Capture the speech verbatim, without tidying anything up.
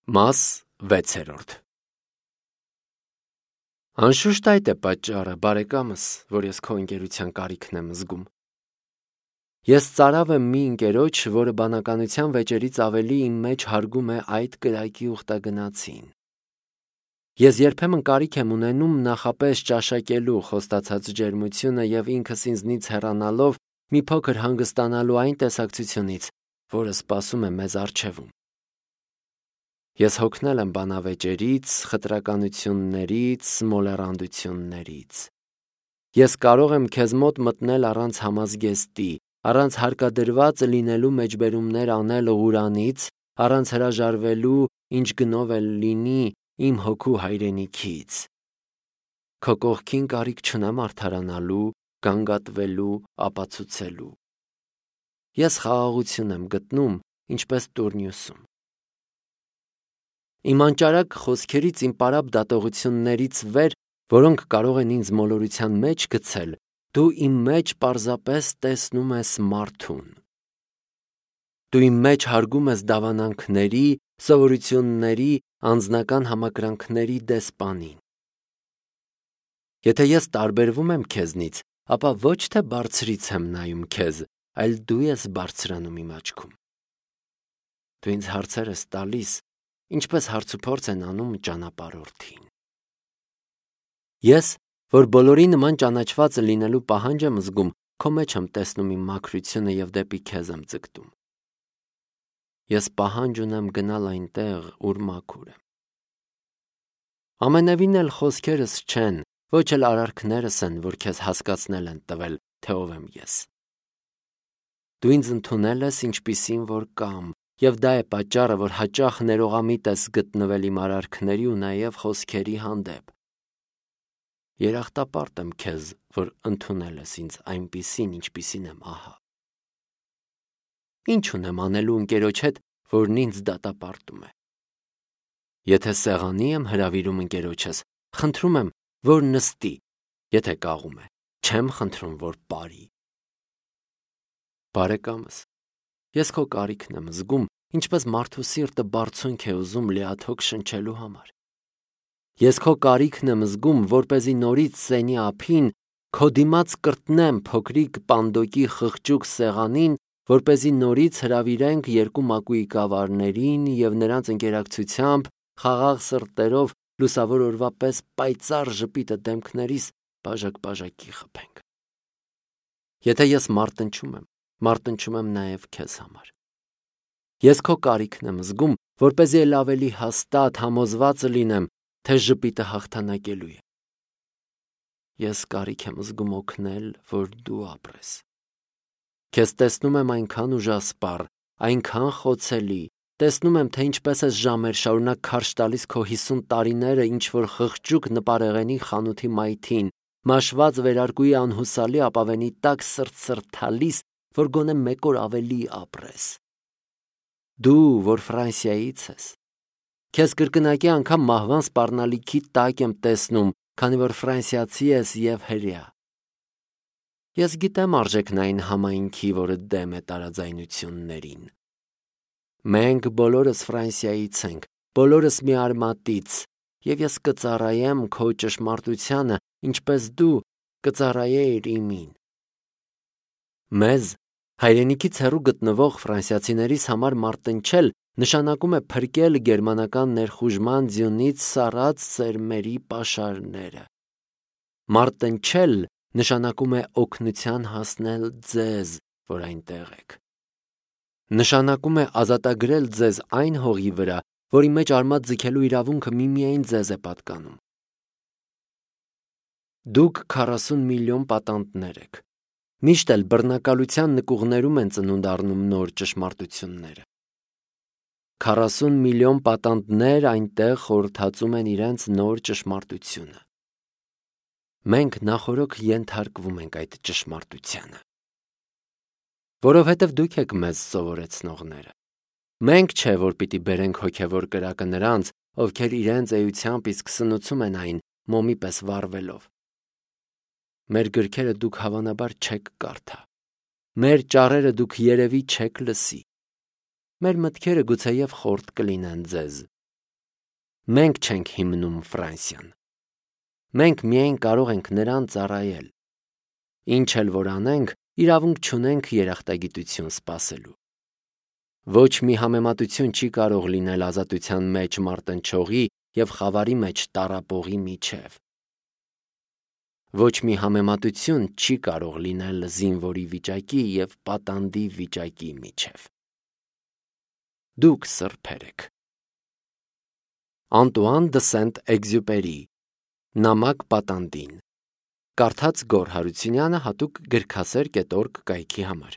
Մաս վեցերորդ Անշուշտ այդ է պատճառը, բարեկամս, որ ես քո ընկերության կարիքն եմ զգում։ Ես ծարավ եմ մի ընկերոջ, որը բանականության վեճերից ավելի իմ մեջ հարգում է այդ կրակի ուխտագնացին։ Ես երբեմն կարիք եմ ունենում նախապես ճաշակելու խոստացած ջերմությունը և ինքս ինձնից հեռանալով մի փոքր հանգստանալու այն տեսակցությունից, որը սպասում է մեզ առջևում։ Ես հոգնել եմ բանավեճերից, խտրականություններից, մոլեռանդություններից։ Ես կարող եմ քեզ մոտ մտնել առանց համազգեստի, առանց հարկադրված լինելու մեջբերումներ անել Ղուրանից, առանց հրաժարվելու, ինչ գնով էլ լինի, իմ հոգու հայրենիքից։ Քո կողքին կարիք չունեմ արդարանալու, գանգատվելու, ապացուցելու։ Ես խաղաղություն եմ գտնում, ինչպես տուրնյուսում։ Իմ անճարակ խոսքերից, իմ պարապ դատողություններից վեր, որոնք կարող են ինձ մոլորության մեջ գցել, դու իմ մեջ պարզապես տեսնում ես մարդուն։ Դու իմ մեջ հարգում ես դավանանքների, սովորությունների, անձնական համակրանքների դեսպանին։ Եթե ես տարբերվում եմ քեզնից, ապա ոչ թե բարձրից եմ նայում քեզ, այլ դու ես բարձրանում իմ աչքում։ Դու ինձ հարցեր ես տալիս, ինչպես հարցուփորձ են անում ճանապարհորդին։ Ես, որ բոլորի նման ճանաչված լինելու պահանջ եմ զգում, քո մեջ եմ տեսնում իմ մաքրությունը և դեպի քեզ եմ ձգտում։ Ես պահանջ ունեմ գնալ այնտեղ, ուր մաքուր եմ։ Ամենևին էլ խոսքերս չեն, ոչ էլ արարքներս են, որ քեզ հասկացնել են տվել, թե ով եմ ես։ Դու ինձ ընդունել ես ինչպիսին որ կամ, և դա է պատճառը, որ հաճախ ներողամիտ ես գտնվել իմ արարքների ու նաև խոսքերի հանդեպ։ Երախտապարտ եմ քեզ, որ ընդունել ես ինձ այնպիսին, ինչպիսին եմ ահա։ Ինչ ունեմ անելու ընկերոջ հետ, որն ինձ դատապարտում է։ Եթե սեղանի եմ հրավիրում ընկերոջս, խնդրում եմ, որ նստի, եթե կաղում է, չեմ խնդրում, որ ապարի։ Բարեկամս, ես քո կարիքն եմ զգում, ինչպես մարդու սիրտը բարձունք է ուզում լիաթոք շնչելու համար։ Ես քո կարիքն եմ զգում, որպեսզի նորից սենի ափին քո դիմաց կրտնեմ փոքրիկ պանդոկի խղճուկ սեղանին, որպեսզի նորից հրավիրենք երկու մակույկավարներին և նրանց ընկերակցությամբ խաղաղ սրտերով լուսավոր օրվա պես պայծառ ժպիտը դեմքներիս բաժակ-բաժակի խփենք։ Եթե ես մարտնչում եմ, մարտնչում եմ նաև քեզ համար։ Ես քո կարիքն եմ զգում, որպեսզի էլ ավելի հաստատ համոզված լինեմ, թե ժպիտը հաղթանակելու է։ Ես կարիք եմ զգում օգնել, որ դու ապրես։ Քեզ տեսնում եմ այնքան ուժասպառ, այնքան խոցելի, տեսնում եմ, թե ինչպես ես ժամեր շարունակ քարշ տալիս քո հիսուն տարիները ինչ-որ խղճուկ նպարեղենի խանութի մայթին, մաշված վերարկուի անհուսալի ապավենի տակ սրտսրտալիս, որ գոնե մեկ օր ավելի ապրես։ Դու, որ Ֆրանսիայից ես, քեզ կրկնակի անգամ մահվան սպառնալիքի տակ եմ տեսնում, քանի որ ֆրանսիացի ես և հրեա։ Ես գիտեմ արժեքն այն համայնքի, որը դեմ է տարաձայնություններին։ Մենք բոլորս Ֆրանսիայից ենք, բոլորս մի արմատից, և ես կծառայեմ քո ճշմարտությանը, ինչպես դու կծառայեիր իմին։ Մեզ, հայրենիքից հեռու գտնվող ֆրանսիացիներիս համար մարտնչել նշանակում է փրկել գերմանական ներխուժման ձյունից սառած սերմերի պաշարները։ Մարտնչել նշանակում է օգնության հասնել ձեզ, որ այնտեղ եք։ Նշանակում է ազատագրել ձեզ այն հողի վրա, որի մեջ արմատ ձգելու իրավունքը միմիայն ձեզ է պատկանում։ Դուք քառասուն միլիոն պատանդներ եք։ Միշտ էլ բռնակալության նկուղներում են ծնունդ առնում նոր ճշմարտությունները։ Քառասուն միլիոն պատանդներ այնտեղ խորհրդածում են իրենց նոր ճշմարտությունը։ Մենք նախօրոք ենթարկվում ենք այդ ճշմարտությանը։ Որովհետև դուք եք մեզ սովորեցնողները։ Մենք չէ, որ պիտի բերենք հոգևոր կրակը նրանց, ովքեր իրենց էությամբ իսկ սնուցում են այն, մոմի պես վառվելով։ Մեր գրքերը դուք հավանաբար չեք կարդա։ Մեր ճառերը դուք երևի չեք լսի։ Մեր մտքերը գուցեև խորտ կլինեն ձեզ, Մենք չենք հիմնում Ֆրանսիան։ Մենք միայն կարող ենք նրան ծառայել։ Ինչ էլ որ անենք, իրավունք չունենք երախտագիտություն սպասելու։ Ոչ մի համեմատություն չի կարող լինել ազատության մեջ մարտնչողի և խավարի մեջ տառապողի միջև։ Ոչ մի համեմատություն չի կարող լինել զինվորի վիճակի և պատանդի վիճակի միջև։ Դուք սրբեր եք։ Անտուան դը Սենտ-Էքզյուպերի Նամակ պատանդին։ Կարդաց Գոռ Հարությունյանը հատուկ գրքասեր կետ օրգ կայքի համար։